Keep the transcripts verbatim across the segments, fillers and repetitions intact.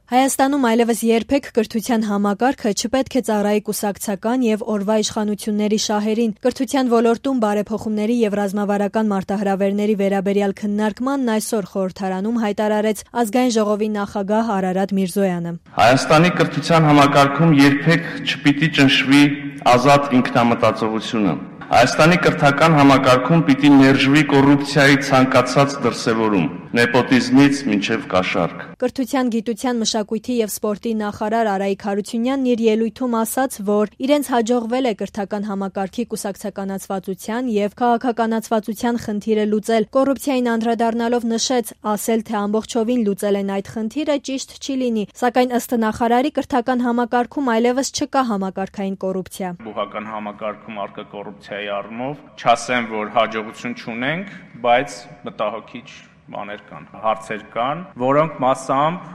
Հայաստանում այլևս երբեք կրթության համակարգը չպետք է ծառայի կուսակցական եւ օրվա իշխանությունների շահերին։ Կրթության ոլորտում բարեփոխումների եւ ռազմավարական մարտահրավերների վերաբերյալ քննարկմանն այսօր խորհրդարանում հայտարարեց Ազգային ժողովի նախագահ Արարատ Միրզոյանը։ Հայաստանի կրթության համակարգում երբեք չպիտի ճնշվի ազատ ինքնամտածողությունը։ Հայաստանի կրթական համակարգում պիտի ներժվի կոռուպցիայի ցանկացած դրսևորում, նեպոտիզմից մինչև կաշառք։ Կրթության, գիտության, մշակույթի եւ սպորտի նախարար Արայիկ Հարությունյանն իր ելույթում ասաց, որ իրենց հաջողվել է կրթական համակարգի կուսակցականացվածության եւ քաղաքականացվածության խնդիրը լուծել։ Կոռուպցիային անդրադառնալով նշեց, ասել թե ամբողջովին լուծել են այդ խնդիրը ճիշտ չի լինի, սակայն ըստ նախարարի կրթական համակարգում այլևս չկա համակարգային կոռուպցիա։ Բուհական համակարգում առկա կոռուպցիայի առումով չասեմ, որ հաջողություն չունենք, բայց մտահոգիչ բաներ կան, հարցեր կան, որոնք մասամբ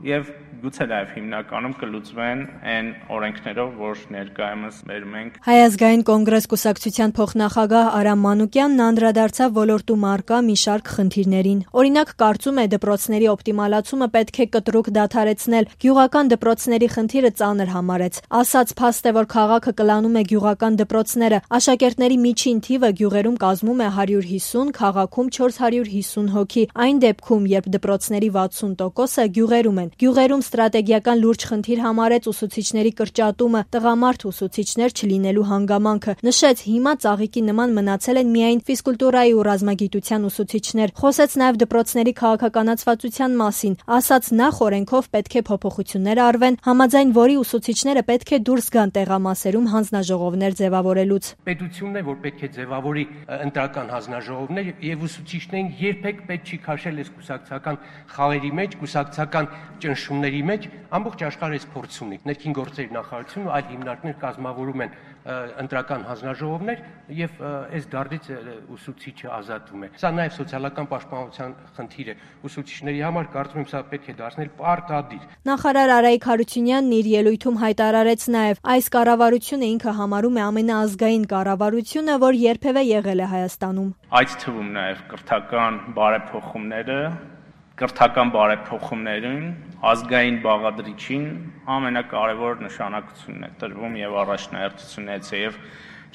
եւ գուցե նաև հիմնականում կլուծվեն այն օրենքներով, որ ներկայումս մեր մենք։ Հայ ազգային կոնգրես կուսակցության փոխնախագահ Արամ Մանուկյանն անդրադարձավ ոլորտում առկա մի շարք խնդիրներին։ Օրինակ, կարծում է դպրոցների օպտիմալացումը պետք է կտրուկ դադարեցնել, գյուղական դպրոցների խնդիրը ծանր համարեց։ Ասաց փաստ է, որ քաղաքը կլանում է գյուղական դպրոցները, աշակերտների միջին թիվը գյուղերում կազմում է հարյուր հիսուն, քաղաքում չորս հարյուր հիսուն հոգի։ Այն դեպքում, երբ դպրոցների վաթսուն տոկոսը գյուղերում են, գյուղերում ստրատեգիական լուրջ խնդիր համարեց ուսուցիչների կրճատումը, տղամարդ ուսուցիչներ չլինելու հանգամանքը։ Նշեց, հիմա ծաղիկի նման մնացել են միայն ֆիզկուլտուրայի ու ռազմագիտության ուսուցիչներ։ Խոսեց նաև դպրոցների քաղաքականացվածության մասին։ Ասաց, նախ օրենքով պետք է փոփոխություններ արվեն, համաձայն որի ուսուցիչները պետք է դուրս գան տեղամասերում հանձնաժողովներ ձևավորելուց։ Պետությունն է, որ պետք է ձևավորի ընտրական հանձնաժողովներ եւ ուսուցիչներին երբեք պետք չի քաշել այս կուսակցական խաղերի մեջ, կուսակցական ճնշումների մեջ, ամբողջ աշխարհը փորձ ունի։ Ներքին գործերի նախարարությունը այլ հիմնարկներ կազմավորում են ընտրական հանձնաժողովներ եւ այս դարդից ուսուցիչը ազատվում է։ Սա նաեւ սոցիալական պաշտպանության խնդիր է։ Ուսուցիչների համար կարծում եմ սա պետք է դարձնել պարտադիր։ Նախարար Արայիկ Հարությունյանն իր ելույթում հայտարարեց նաեւ, այս կառավարությունը ինքը համարում է ամենաազգային կառավարությունը, որ երբևէ եղել է Հայաստանում։ Այդ թվում նաեւ կրթական բարեփոխումները Կրթական բարեփոխումներին ազգային բաղադրիչին ամենակարևոր նշանակությունն է տրվում եւ առաջնահերթություն է եւ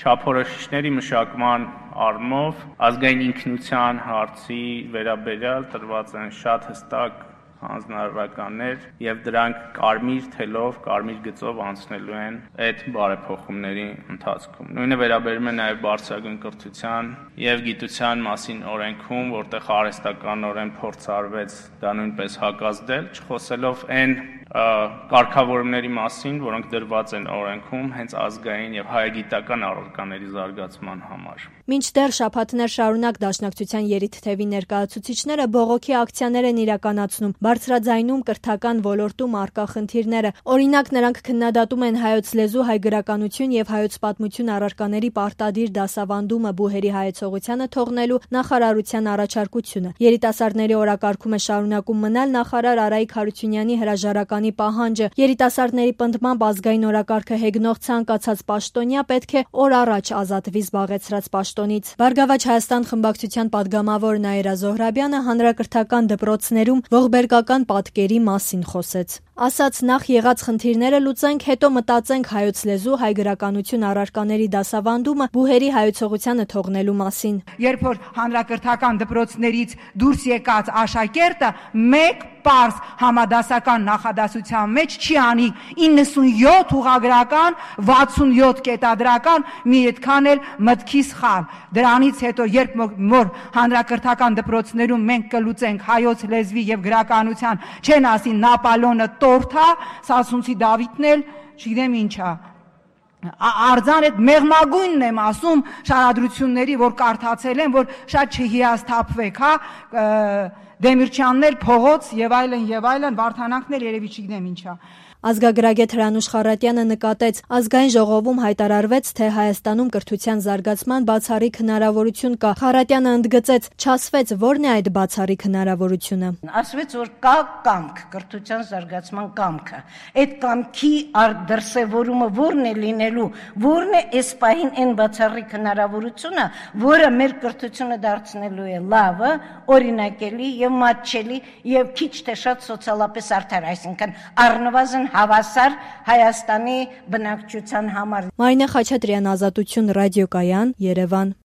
չափորոշիչների մշակման առումով ազգային ինքնության հարցի վերաբերյալ տրված են շատ հստակ հանձնարարականներ եւ դրանք կարմիր թելով, կարմիր գծով անցնելու են այդ բարեփոխումների ընթացքում։ Նույնը վերաբերում է նաեւ բարձրագույն կրթության եւ գիտության մասին օրենքում, որտեղ արհեստականորեն փորձ արվեց դա նույնպես հակազդել, չխոսելով այն կարգավորումների մասին, որոնք դրված են օրենքում հենց ազգային եւ հայագիտական առարկաների զարգացման համար։ Մինչդեռ շաբաթներ շարունակ Դաշնակցության երիտթևի ներկայացուցիչները բողոքի ակցիաներ են իրականացնում, բարձրաձայնում կրթական ոլորտում առկա խնդիրները։ Օրինակ, նրանք քննադատում են հայոց լեզու, հայ գրականություն եւ հայոց պատմություն առարկաների պարտադիր դասավանդումը բուհերի հայեցողությանը թողնելու նախարարության առաջարկությունը։ Երիտասարդների օրակարգում է շարունակում մնալ նախարար Արայիկ Հարությունյանի հրաժարականի պահանջը։ Երիտասարդների պնդմամբ ազգային օրակարգը հեգնող ցանկացած պաշտոնյա պետք է օր առաջ ազատվի զբաղեցրած պաշտոնից։ Բարգավաճ Հայաստան խմբակցության падգամավոր Նաիրա Զոհրաբյանը հանրակրթական դպրոցներում ողբերգական պատկերի մասին խոսեց։ Ասաց, նախ եղած խնդիրները լուծենք, հետո մտածենք հայոց լեզու, հայ գրականություն առարկաների դասավանդումը բուհերի հայեցողությանը թողնելու մասին։ Երբ որ հանրակրթական դպրոցներից դուրս եկած աշակերտը մեկ պարզ համադասական նախադասության մեջ չի անի իննսունյոթ ուղագրական, վաթսունյոթ կետադրական, մի այդքան էլ մտքի սխալ։ Դրանից հետո երբ որ հանրակրթական դպրոցներում մենք կլուծենք հայոց լեզվի եւ գրականության, չեն ասի Նապոլեոնը տորթա, Սասունցի Դավիթն էլ, չգիտեմ ինչա։ Արձան այդ մեղմագույնն եմ ասում շարադրությունների, որ կարդացել են, որ շատ չհիասթափվեք, հա, Դեմիրճյաններ, փողոց եւ այլն եւ այլն, Վարդանանքներ երևի չգիտեմ ինչա։ Ազգագրագետ Հրանուշ Խառատյանը նկատեց, ազգային ժողովում հայտարարվեց, թե Հայաստանում կրթության զարգացման բացառիկ հնարավորություն կա։ Խառատյանը ընդգծեց, չասվեց, որն է այդ բացառիկ հնարավորությունը։ Ասվեց, որ կա կամք, կրթության զարգացման կամքը։ Այդ կամքի դրսևորումը որն է լինելու, որն է այս պահին այն բացառիկ հնարավորությունը, որը մեր կրթությունը դարձնելու է լավը, օրինակելի եւ եւ մատչելի եւ քիչ թե շատ սոցիալապես արդար, այսինքն առնվազն հավասար Հայաստանի բնակչության համար։ Մարինե Խաչատրյան, Ազատություն ռադիոկայան, Երևան։